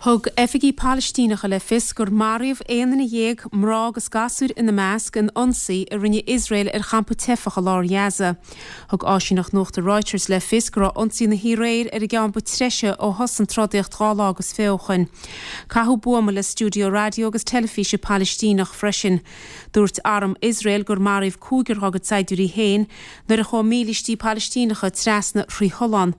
Thug oifigigh Palaistíneacha le fios gur maraíodh 11 duine, mná agus gasúir ina measc, in ionsaí a rinne Iosrael ar champa teifeach i lár Ghaza. Thug áisíneacht nuachta Reuters le fios go raibh ionsaí na haréir ar an gceann ba treise ó thosaigh an trodaíocht 12 lá agus fiche ó shoin. Caitheadh buama le stiúideo raidió agus teilifíse Palaistíneach freisin. Dúirt arm Iosrael gur maraíodh cúigear dá gcuid saighdiúirí féin nuair a chuaigh mílístí Palaistíneacha trasna thrí thollán.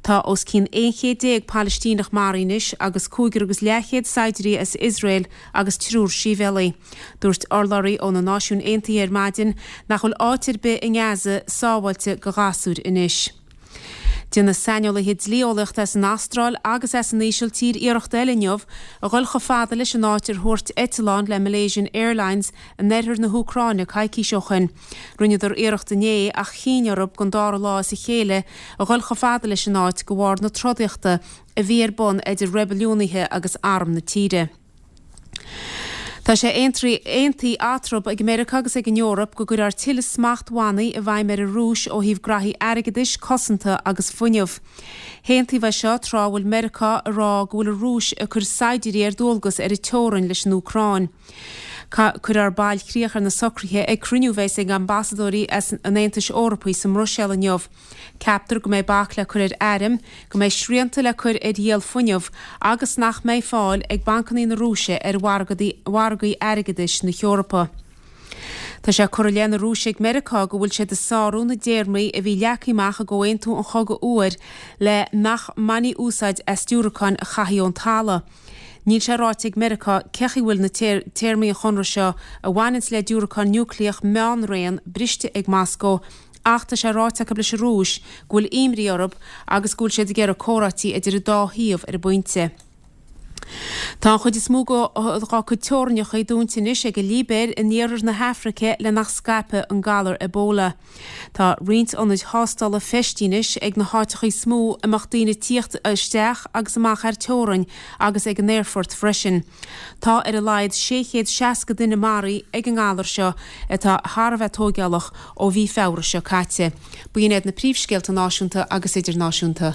Tá os cionn 11 chéad Palaistíneach maraithe anois agus cúigear agus leathchéad saighdiúirí as Iosrael agus triúr sibhialaigh. Dúirt urlabhraí ó na Náisiúin Aontaithe ar maidin nach bhfuil áit ar bith i nGaza sábháilte go ghasúir anois. Déanfaidh saineolaithe dlí-eolaíochta as an Astráil agus as an Ísiltír iarracht eile inniu a dhul chomh fada leis an áit ar thuairt eitleán le Malaysian Airlines in oirthear na hÚcráine coicís ó shoin. Rinneadar iarracht inné ach chinn orthu don dara lá as a chéile a dhul chomh fada leis an áit de bharr na trodaíochta a bhí ar bun idir reibiliúnaithe agus arm na tíre. Tá sé aontaithe eatarthu ag Meiriceá agus ag an Eoraip go gcuirfear tuilleadh smachtbhannaí i bhfeidhm ar an Rúis ó thaobh graithí airgeadais, cosanta agus fuinnimh. Haontaíodh é seo tráth a bhfuil Meiriceá ag rá go bhfuil an Rúis ag cur saighdiúirí ar dualgas ar a teorainn leis an Úcráin. Cuirfear bailchríoch ar na socruithe ag cruinniú a bheas ag ambasadóirí an Aontais Eorpaigh sa mBruiséil inniu. Ceaptar go mbeidh bac le cur ar airm, go mbeidh srianta le cur ar dhíol fuinnimh agus nach mbeidh fáil ag bancanna na Rúise ar mhargaí airgeadais na hEorpa. Tá sé curtha i leith na Rúise ag Meiriceá go bhfuil siad ag sárú na dtéarmaí a bhí leagtha amach i gComhaontú an Chogaidh Fhuair le nach mbainfí úsáid as diúracáin a chaithfí ón talamh. Níl sé ráite ag Meiriceá cé chaoi bhfuil na téarmaí an chonradh seo a bhaineanns le diúracáin núicléach meánraon briste ag Moscó ach tá sé ráite acu leis an Rúis go bhfuil imní orthu agus go bhfuil siad ag iarraidh comhráití idir an dá thaobh ar an bpointe. Tá an chuid is mó dá cuid teorainneacha dúnta anois ag an Libéir in iarthar na hAfraice le nach scaipfeadh an galar Ebola. Tá roinnt ionaid thástála feistithe anois ag na háiteacha is mó a mbeadh daoine ag tíocht isteach agus amach thar teorainn agus ag an aerfort freisin. Tá ar a laghad 660 duine maraithe ag an ngalar seo atá thar a bheith tóigeálach ó mhí Feabhra seo caite. B'in iad na príomhscéalta náisiúnta agus idirnáisiúnta.